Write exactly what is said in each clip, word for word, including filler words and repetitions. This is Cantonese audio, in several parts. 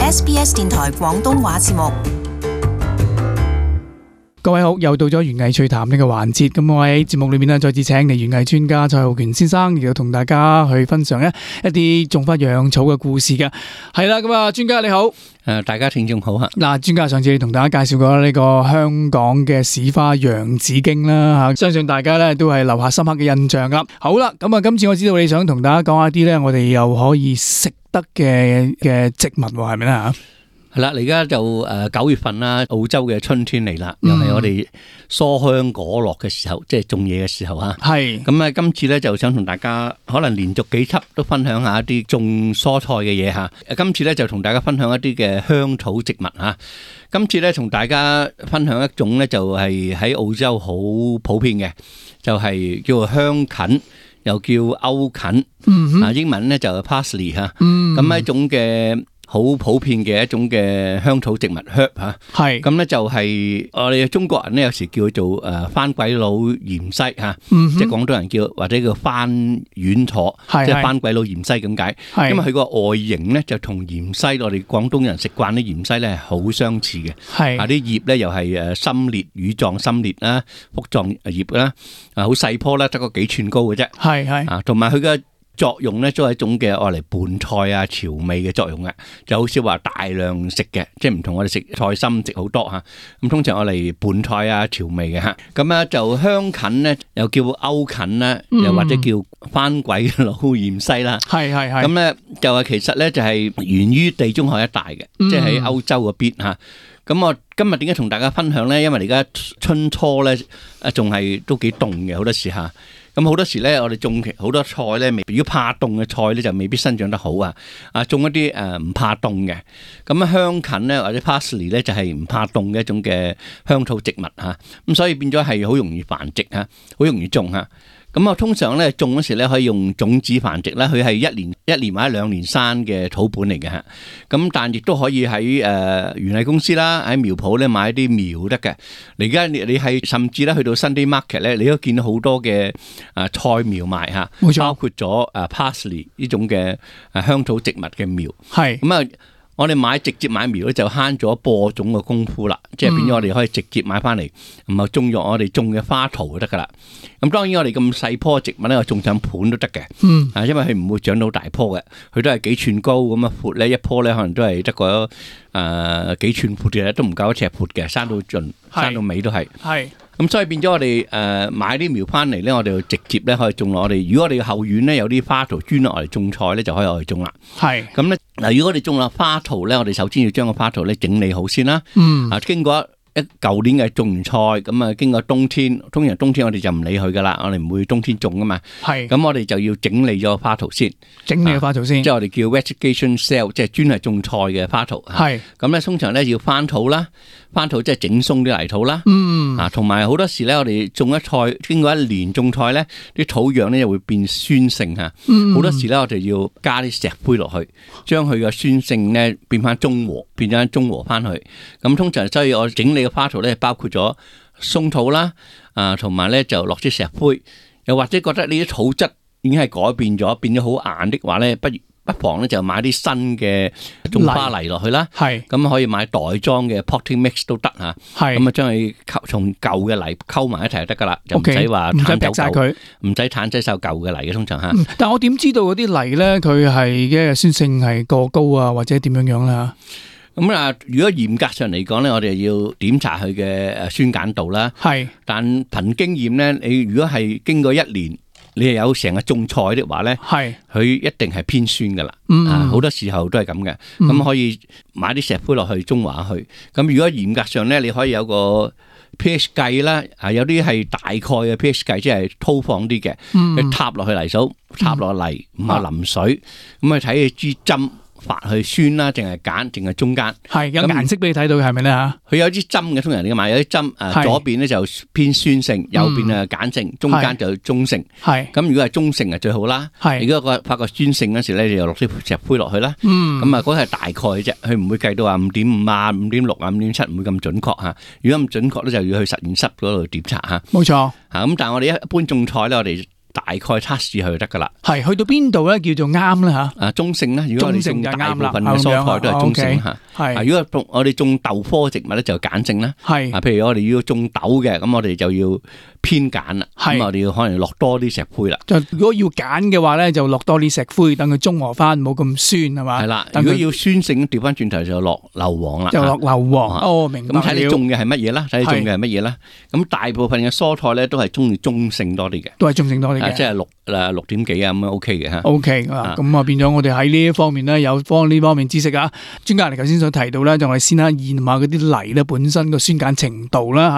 S B S 電台廣東話節目。各位好，又到咗園藝趣談呢個環節，咁我喺節目裏面呢，再次請嚟園藝專家蔡浩權先生，亦都同大家去分享一一啲種花養草嘅故事嘅。係啦，咁啊，專家你好，誒，大家聽眾好啊！嗱，專家上次同大家介紹過呢個香港嘅市花洋紫荊啦吓，相信大家咧都係留下深刻嘅印象啦。好啦，咁啊，今次我知道你想同大家講一啲咧，我哋又可以食得嘅嘅植物係咪咧吓？係啦，而家就誒九月份啦，澳洲嘅春天嚟啦，又係我哋蔬香果落嘅時候，即係種嘢嘅時候啊。係咁啊，今次咧就想同大家可能連續幾輯都分享下一啲種蔬菜嘅嘢吓。今次咧就同大家分享一啲嘅香草植物吓。今次咧同大家分享一種咧就係喺澳洲好普遍嘅，就係叫做香芹，又叫歐芹。嗯，啊英文咧就 parsley 吓。嗯，咁係一種嘅。好普遍嘅一種嘅香草植物 herb 吓，係咁咧就係我哋中國人咧有時叫做誒番鬼佬芫茜吓，即係廣東人叫或者叫番丸楚，即係番鬼佬芫茜咁解。因為佢個外形咧就同芫茜我哋廣東人食慣啲芫茜咧係好相似嘅，係啊啲葉咧又係誒深裂羽狀深裂啦，複狀葉啦，啊好細棵啦，得個幾寸高嘅啫，係係啊同埋佢嘅作用咧都係一種嘅愛嚟拌菜啊調味嘅作用嘅，就好少話大量食嘅，即係唔同我哋食菜心食好多吓，咁通常愛嚟拌菜啊調味嘅吓，咁啊就香芹咧又叫歐芹啦，又或者叫番鬼佬芫茜啦，係係係，咁咧就係其實咧就係源於地中海一帶嘅，即係喺歐洲嗰邊吓。咁我今日點解同大家分享咧？因為而家春初咧啊仲係都幾凍嘅好多時吓。咁好多時咧，我哋種好多菜咧，如果怕凍嘅菜咧，就未必生長得好啊！啊，種一啲誒唔怕凍嘅，咁啊香芹咧或者 parsley 咧就係唔怕凍嘅一種嘅香草植物嚇，咁所以變咗係好容易繁殖嚇，好容易種嚇。咁啊，通常咧種嗰時咧可以用種子繁殖啦，佢係一年一年或者兩年生嘅土本嚟嘅嚇。咁但亦都可以喺誒園藝公司啦，喺苗圃咧買啲苗得嘅。而家你你係甚至咧去到 Sunday Market 咧，你都見到好多嘅誒菜苗賣嚇，冇錯，包括咗誒 parsley 呢種嘅誒香草植物嘅苗。係咁啊。我哋買直接買苗咧就慳咗播種嘅功夫啦，即係變咗我哋可以直接買翻嚟，唔係種入我哋種嘅花圖就得噶啦。咁當然我哋咁細棵植物咧，我種上盤都得嘅，嗯，啊，因為佢唔會長到大棵嘅，佢都係幾寸高咁啊，闊咧一棵咧可能都係得個誒幾寸闊嘅，都唔夠一尺闊嘅，生到盡，生到尾都係，係。咁所以變咗我哋誒買啲苗翻嚟咧，我哋就直接咧可以種落我哋。如果我哋後院咧有啲花圖專落嚟種菜咧，就可以攞嚟種啦。係咁咧嗱，如果我哋種落花圖咧，我哋首先要將個花圖咧整理好先啦。嗯，啊經過一舊年嘅種完菜，咁啊經過冬天，通常冬天我哋就唔理佢噶啦，我哋唔會冬天種噶嘛。係咁，我哋就要整理咗個花圖先，整理個花圖先，即係我哋叫 vegetation cell， 即係專係種菜嘅花圖。係咁咧，通常咧要翻土啦。翻土即係整鬆啲泥土啦，嗯，啊，同埋好多時咧，我哋種一菜，經過一年種菜咧，啲土壤咧又會變酸性吓，嗯，好多時咧我哋要加啲石灰落去，將佢嘅酸性咧變翻中和，變咗中和翻去。咁通常所以我整理嘅花土咧，包括咗鬆土啦，啊，同埋咧就落啲石灰，又或者覺得呢啲土質已經係改變咗，變咗好硬的話咧，不如。不妨咧就買啲新嘅種花泥落去啦，係咁可以買袋裝嘅 potting mix 都得嚇，係咁啊將佢溝從舊嘅泥溝埋一齊就得噶啦，就唔使話唔使劈曬佢，唔使攤擠曬舊嘅泥嘅通常嚇。但係我點知道嗰啲泥咧佢係嘅酸性係過高啊，或者點樣樣啦？咁啊，如果嚴格上嚟講咧，我哋要檢查佢嘅誒酸鹼度啦，係。但憑經驗咧，你如果係經過一年，你係有成日種菜的話咧，係佢一定係偏酸噶啦，嗯、啊好多時候都係咁嘅，咁、嗯、可以買啲石灰落去中和去。咁如果嚴格上咧，你可以有個 pH 計啦，啊有啲係大概嘅 pH 計，即係粗放啲嘅，你、嗯、插落去泥數，插落泥，唔係淋水，咁去睇佢支針。發去酸啦，淨係鹼，淨係中間，係有顏色俾你睇到嘅，係咪咧吓？佢有啲針嘅，通常你買有啲針，誒左邊咧就偏酸性，右邊啊鹼性，中間就中性。係咁，如果係中性啊最好啦。係如果個發覺酸性嗰時咧，你就落啲石灰落去啦。嗯，咁啊嗰係大概嘅啫，佢唔會計到話五點五啊、五點六啊、五點七，唔會咁準確吓。如果咁準確咧，就要去實驗室嗰度檢查吓。冇錯。吓咁，但係我哋一般種菜咧，我哋大概測試佢就得噶啦。係去到邊度咧叫做啱咧吓？啊，中性啦，如果我哋種大部分嘅蔬菜都係中性吓。係，如果我哋種豆科植物咧就鹼性啦。係，啊，譬如我哋要種豆嘅，咁我哋就要偏鹼啦。咁我哋要可能落多啲石灰啦。就如果要鹼嘅話咧，就落多啲石灰，等佢中和翻，冇咁酸係嘛。係啦，如果要酸性，調翻轉頭就落硫磺啦。就落硫磺。哦，明白。咁睇你種嘅係乜嘢啦？睇你種嘅係乜嘢啦？咁大部分嘅蔬菜咧都係中意中性多啲嘅。都係中性多啲嘅。即係六誒六點幾啊咁樣 OK 嘅吓。OK 啊，咁啊變咗我哋喺呢一方面咧有方呢方面知識啊。專家你頭先所提到咧，就我哋先啦驗下嗰啲泥咧本身個酸鹼程度啦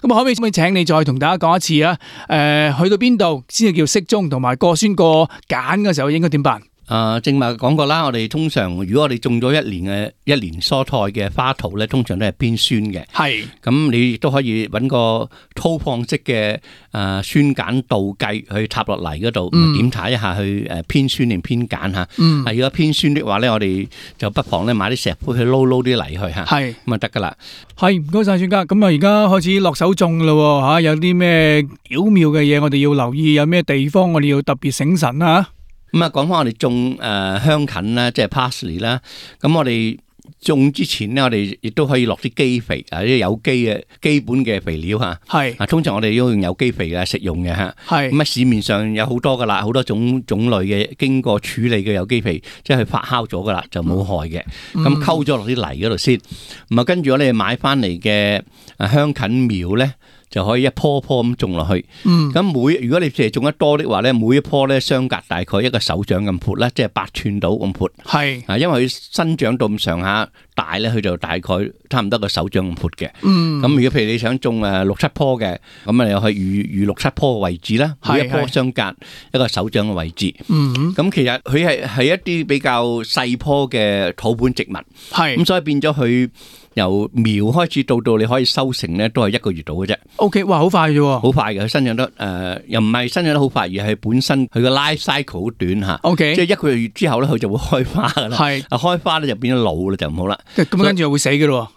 吓。咁啊可唔可以請你再同大家講一次啊？誒，去到邊度先至叫適中，同埋過酸過鹼嘅時候應該點辦？啊，正話講過啦，我哋通常如果我哋種咗一年嘅一年蔬菜嘅花土咧，通常都係偏酸嘅。係，咁你亦都可以揾個粗放式嘅誒酸鹼度計去插落泥嗰度，檢查一下去誒偏酸定偏鹼吓。嗯，如果偏酸的話咧，我哋就不妨咧買啲石灰去撈撈啲泥去吓。係，咁啊得噶啦。係，唔該晒專家。咁啊而家開始落手種噶啦吓，有啲咩巧妙嘅嘢我哋要留意，有咩地方我哋要特別醒神啊？咁啊，講翻我哋種誒香芹啦，即係 parsley 啦。咁我哋種之前咧，我哋亦都可以落啲基肥啊，啲有機嘅基本嘅肥料吓。係啊，通常我哋都用有機肥嘅食用嘅吓。係咁啊，市面上有好多噶啦，好多種種類嘅經過處理嘅有機肥，即係佢發酵咗噶啦，就冇害嘅。咁溝咗落啲泥嗰度先。咁啊，跟住我哋買翻嚟嘅誒香芹苗咧，就可以一棵棵咁種落去。嗯，咁每如果你淨係種得多的話咧，每一棵咧相隔大概一個手掌咁闊啦，即係八寸到咁闊。係啊，因為佢生長到咁上下大咧，佢就大概差唔多個手掌咁闊嘅。嗯，咁如果譬如你想種誒六七棵嘅，咁啊又係預預六七棵嘅位置啦，每一棵相隔一個手掌嘅位置。嗯，咁其實佢係係一啲比較細棵嘅土本植物。係，咁所以變咗佢由苗開始到到你可以收成咧，都係一個月到嘅啫。O K， 哇，好快嘅喎，好快嘅。佢生長得誒、呃，又唔係生長得好快，而係本身佢個 life cycle 好短吓。O K， 即係一個月之後咧，佢就會開花噶啦。係，啊開花咧就變咗老啦，就唔好啦。咁跟住又會死嘅咯。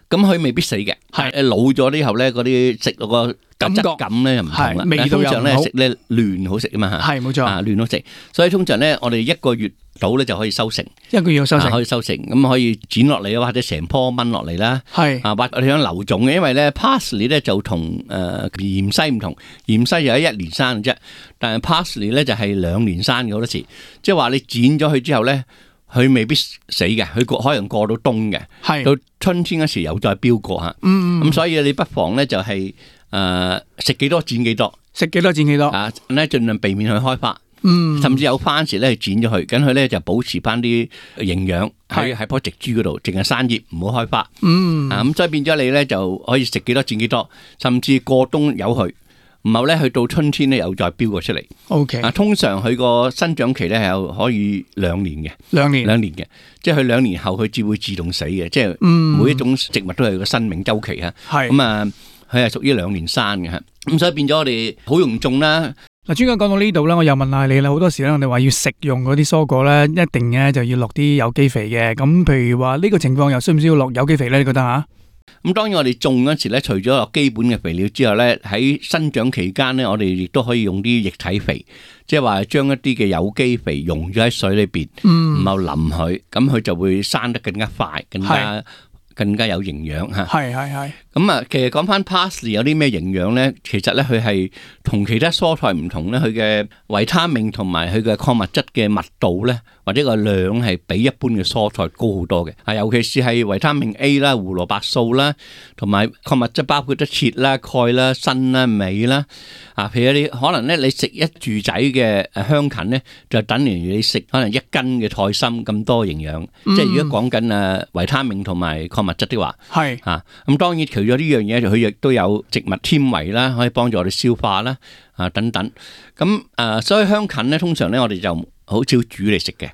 咁佢未必死嘅，係誒老咗之後咧，嗰啲食嗰個質感咧又唔同啦。味道又唔好。通常咧食咧嫩好食啊嘛吓。係冇錯，啊嫩好食。所以通常咧，我哋一個月到咧就可以收成，一個月收成可以收成，咁可以剪落嚟或者成棵掹落嚟啦。係啊，或者你想留種嘅，因為咧 parsley 咧就同誒芫荽唔同，芫荽就係一年生嘅啫，但係 parsley 咧就係兩年生嘅好多時，即係話你剪咗佢之後咧，佢未必死嘅，佢過可能過到冬嘅，係到春天嗰時又再飆過吓。嗯，咁所以你不妨咧就係誒食幾多剪幾多，食幾多剪幾多啊，咧盡量避免去開花。嗯，甚至有番時咧剪咗佢，咁佢咧就保持翻啲營養喺喺棵植株嗰度，淨係生葉唔好開花。嗯，啊咁所以變咗你咧就可以食幾多剪幾多，甚至過冬有佢，然後咧去到春天咧又再飆過出嚟。O K，啊通常佢個生長期咧係有可以兩年嘅，兩年兩年嘅，即係佢兩年後佢只會自動死嘅，即係每一種植物都係個生命周期啊。係咁啊，佢係屬於兩年生嘅吓，咁所以變咗我哋好容易種啦。嗱，專家講到呢度咧，我又問下你啦。好多時咧，我哋話要食用嗰啲蔬果咧，一定咧就要落啲有機肥嘅。咁譬如話呢個情況又需唔需要落有機肥咧？你覺得吓？咁當然我哋種嗰時咧，除咗落基本嘅肥料之外咧，喺生長期間咧，我哋亦都可以用啲液體肥，即係話將一啲嘅有機肥溶咗喺水裏邊，然後淋佢，咁佢就會生得更加快，更加更加有營養吓。係係係。咁啊，其實講翻 parsley 有啲咩營養咧？其實咧佢係同其他蔬菜唔同咧，佢嘅維他命同埋佢嘅礦物質嘅密度咧，或者個量係比一般嘅蔬菜高好多嘅。啊，尤其是係維他命 A 啦、胡蘿蔔素啦，同埋礦物質包括得鐵啦、鈣啦、鋅啦、鎂啦。啊，譬如你可能咧，你食一住仔嘅誒香芹咧，就等於你食可能一斤嘅菜心咁多營養。嗯、即係如果講緊誒維他命同埋礦物質的話，係啊，咁當然除咗呢樣嘢，佢亦都有植物纖維啦，可以幫助我哋消化啦，啊等等。咁啊，所以香芹咧，通常咧我哋就好少煮嚟食嘅。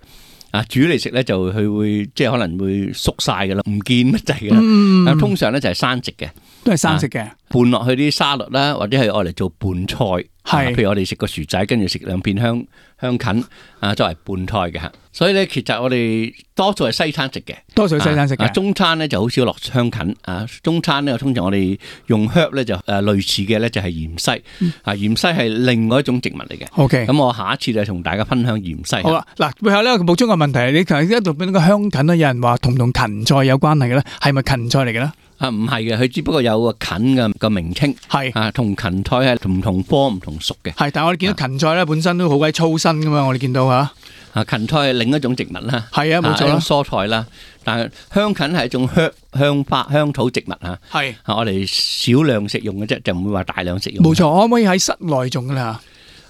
啊，煮嚟食咧就佢會即係可能會縮晒噶啦，唔見乜滯噶啦。嗯、通常咧就係生食嘅，都係生食嘅。拌落去啲沙律啦，或者係愛嚟做拌菜。係、啊，譬如我哋食個薯仔，跟住食兩片香香芹啊，作為拌菜嘅吓。所以咧，其實我哋多數係西餐食嘅，多數係西餐食嘅、啊。中餐咧就好少落香芹啊。中餐咧，通常我哋用 herb 咧就誒類似嘅咧就係芫茜、嗯、啊。芫茜係另外一種植物嚟嘅。OK，咁我下一次就同大家分享芫茜。好啦，嗱，背後咧補充個問題，你頭先一度俾呢個香芹咧，有人話同唔同芹菜有關係嘅咧，係咪芹菜嚟嘅咧？啊，唔係嘅，佢只不過有個芹嘅個名稱，係啊，同芹菜係唔同科唔同屬嘅。係，但係我哋見到芹菜咧本身都好鬼粗身噶嘛，我哋見到吓。啊，芹菜係另一種植物啦，係啊，冇錯啦，蔬菜啦。但係香芹係一種香香花香草植物吓，係啊，我哋少量食用嘅啫，就唔會話大量食用。冇錯，可唔可以喺室內種噶啦？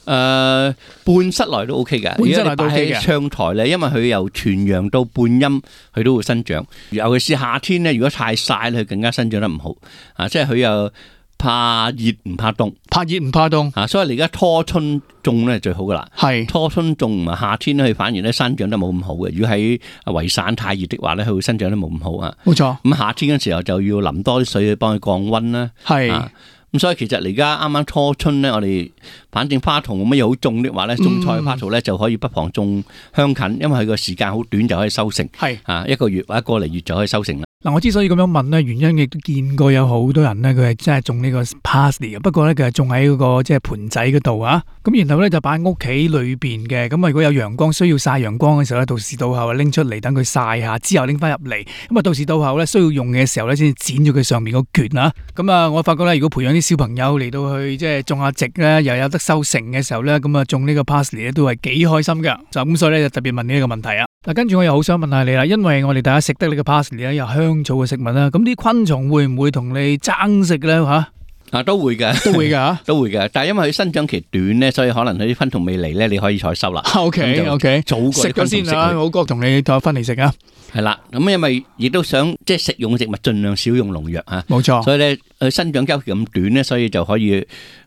誒、呃，半室內都 OK 嘅，半室內都 OK 嘅。窗台咧，因為佢由全陽到半陰，佢都會生長。尤其是夏天咧，如果太曬咧，佢更加生長得唔好。啊，即係佢又怕熱唔怕凍，怕熱唔怕凍。啊，所以你而家初春種咧最好噶啦。係初春種唔係夏天咧，佢反而咧生長得冇咁好嘅。如果喺維省太熱的話咧，佢會生長得冇咁好啊。冇錯。咁夏天嘅時候就要淋多啲水去幫佢降溫啦。係。啊咁所以其實而家啱啱初春咧，我哋反正花叢冇乜嘢好種的話咧，種菜花叢咧就可以不妨種香芹，因為佢個時間好短就可以收成，係啊一個月或者個嚟月就可以收成啦。嗱，我之所以咁樣問咧，原因亦都見過有好多人咧，佢係真係種呢個 parsley 嘅，不過咧佢係種喺嗰個即係盆仔嗰度啊。咁然後咧就擺喺屋企裏邊嘅，咁啊如果有陽光需要曬陽光嘅時候咧，到時到後拎出嚟等佢曬下，之後拎翻入嚟，咁啊到時到後咧需要用嘅時候咧，先至剪咗佢上面個橛啊。咁啊，我發覺咧，如果培養啲小朋友嚟到去即係種下植咧，又有得收成嘅時候咧，咁啊種呢個 parsley 咧都係幾開心噶。就咁所以咧就特別問你呢個問題啊。嗱，跟住我又好想問下你啦，因為我哋大家食得呢個 parsley 咧，又香草嘅食物啦，咁啲昆蟲會唔會同你爭食咧吓？啊，都會嘅，都會嘅，都會嘅。但係因為佢生長期短咧，所以可能佢啲昆蟲未嚟咧，你可以採收啦。O K O K，早食咗先啦，好過同你再分嚟食啊。係啦，咁因為亦都想即係食用嘅植物盡量少用農藥吓，冇錯。所以咧，佢生長周期咁短咧，所以就可以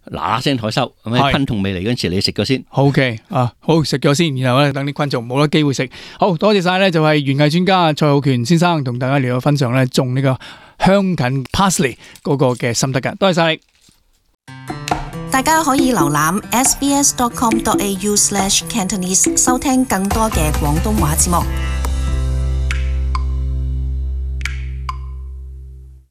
嗱嗱聲採收。咁喺昆蟲未嚟嗰陣時，你食咗先。O K 啊，好食咗先，然後咧等啲昆蟲冇得機會食。好多謝晒咧，就係園藝專家蔡浩權先生同大家嚟到分享咧種呢個香芹 parsley 嗰個嘅心得噶，多謝晒你。大家可以瀏覽 s b s dot com dot a u slash cantonese 收聽更多嘅廣東話節目。